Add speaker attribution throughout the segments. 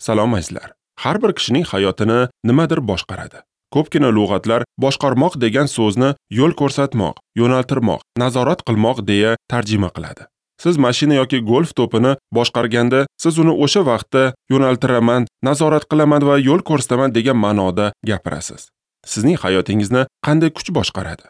Speaker 1: Salom azizlar. Har bir kishining hayotini nimadir boshqaradi. Ko'pgina lug'atlar boshqarmoq degan so'zni yo'l ko'rsatmoq, yo'naltirmoq, nazorat qilmoq deya tarjima qiladi. Siz mashina yoki golf to'pini boshqarganda, siz uni o'sha vaqtda yo'naltiraman, nazorat qilaman va yo'l ko'rsataman degan ma'noda gapirasiz. Sizning hayotingizni qanday kuch boshqaradi?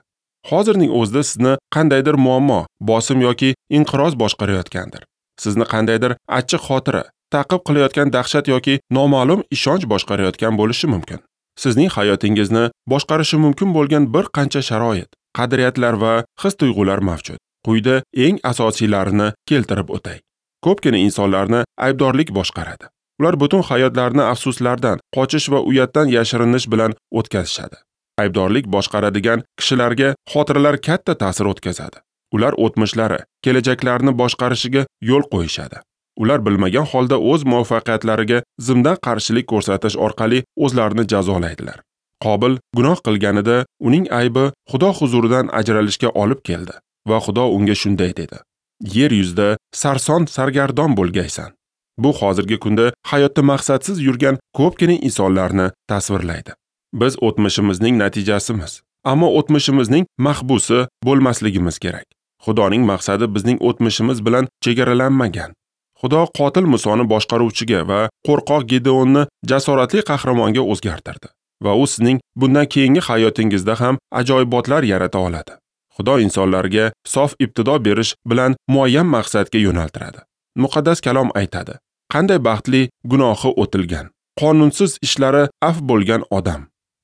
Speaker 1: Hozirning o'zida sizni qandaydir muammo, bosim yoki inqiroz boshqarayotgandir. Sizni qandaydir achchiq xotira, ta'qib qilayotgan dahshat yoki noma'lum ishonch boshqarayotgan bo'lishi mumkin. Sizning hayotingizni boshqarishi mumkin bo'lgan bir qancha sharoit, qadriyatlar va his-tuyg'ular mavjud. Quyida eng asosiylarini keltirib o'tay. Ko'pgina insonlarni aybdorlik boshqaradi. Ular butun hayotlarini afsuslardan, qochish va uyatdan yashirinish bilan o'tkazishadi. Aybdorlik boshqaradigan kishilarga xotiralar katta ta'sir o'tkazadi. Ular o'tmishlari, kelajaklarini boshqarishiga yo'l qo'yishadi. Ular bilmagan holda o'z muvaffaqiyatlariga zimdan qarshilik ko'rsatish orqali o'zlarini jazolaydilar. Qobil gunoh qilganida uning aybi Xudo huzuridan ajralishga olib keldi va Xudo unga shunday dedi: Yer yuzida sarson sargardon bo'lgaysan. Bu hozirgi kunda hayotda maqsadsiz yurgan ko'pgina insonlarni tasvirlaydi. Biz o'tmishimizning natijasimiz, ammo o'tmishimizning mahbusi bo'lmasligimiz kerak. Xudoning maqsadi bizning o'tmishimiz bilan chegaralanmagan. Xudo qotil Musoni boshqaruvchiga va qo'rqoq Gideonni jasoratli qahramonga o'zgartirdi va u sizning bundan keyingi hayotingizda ham ajoyibotlar yarata oladi. Xudo insonlarga sof ibtido berish bilan muayyan maqsadga yo'naltiradi. Muqaddas kalom aytadi: qanday baxtli gunohi o'tilgan, qonunsiz ishlari af bo'lgan odam.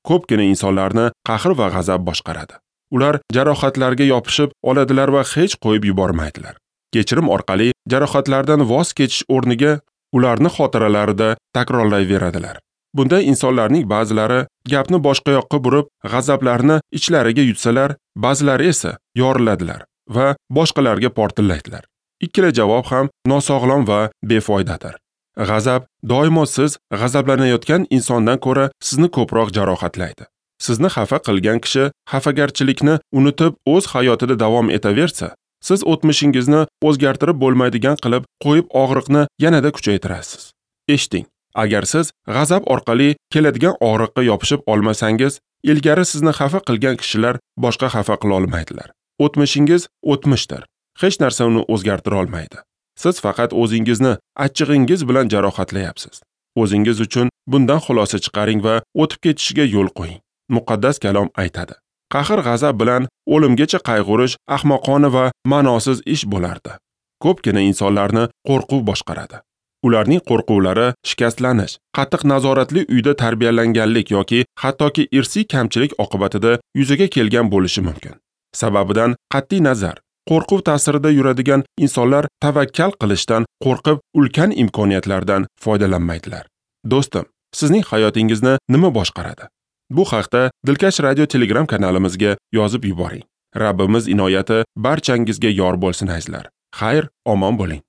Speaker 1: Ko'pgina insonlarni qahr va g'azab boshqaradi. Ular jarohatlarga yopishib oladilar va hech qo'yib yubormaydilar. Kechirim orqali jarohatlardan voz kechish o'rniga ularni xotiralarida takrorlayveradilar. Bunday insonlarning ba'zilari gapni boshqa yoqqa burib, g'azablarini ichlariga yutsalar, ba'zilari esa yoriladilar va boshqalarga portillaydilar. Ikkala javob ham nosog'lom va befoydadir. G'azab doimo siz g'azablanayotgan insondan ko'ra sizni ko'proq jarohatlaydi. Sizni xafa qilgan kishi xafagarchilikni unutib o'z hayotida davom etaversa, siz o'tmishingizni o'zgartirib bo'lmaydigan qilib qo'yib og'riqni yanada kuchaytirasiz. Eshiting, agar siz g'azab orqali keladigan og'riqqa yopishib olmasangiz, ilgari sizni xafa qilgan kishilar boshqa xafa qila olmaydilar. O'tmishingiz o'tmishdir. Hech narsa uni o'zgartira olmaydi. Siz faqat o'zingizni achchig'ingiz bilan jarohatlayapsiz. O'zingiz uchun bundan xulosa chiqaring va o'tib ketishiga yo'l qo'ying. Muqaddas kalom aytadi: qahr-g'azab bilan o'limgacha qayg'urish ahmoqona va ma'nosiz ish bo'lardi. Ko'pgina insonlarni qo'rquv boshqaradi. Ularning qo'rquvlari shikastlanish, qattiq nazoratli uyda tarbiyalanganlik yoki hattoki irsiy kamchilik oqibatida yuzaga kelgan bo'lishi mumkin. Sababidan qat'iy nazar, qo'rquv ta'sirida yuradigan insonlar tavakkal qilishdan qo'rqib ulkan imkoniyatlardan foydalanmaydilar. Do'stim, sizning hayotingizni nima boshqaradi? Bu haqda Dilkash Radio Telegram kanalimizga yozib yuboring. Rabbimiz inoyati barchangizga yor bo'lsin azizlar. Xayr, omon bo'ling.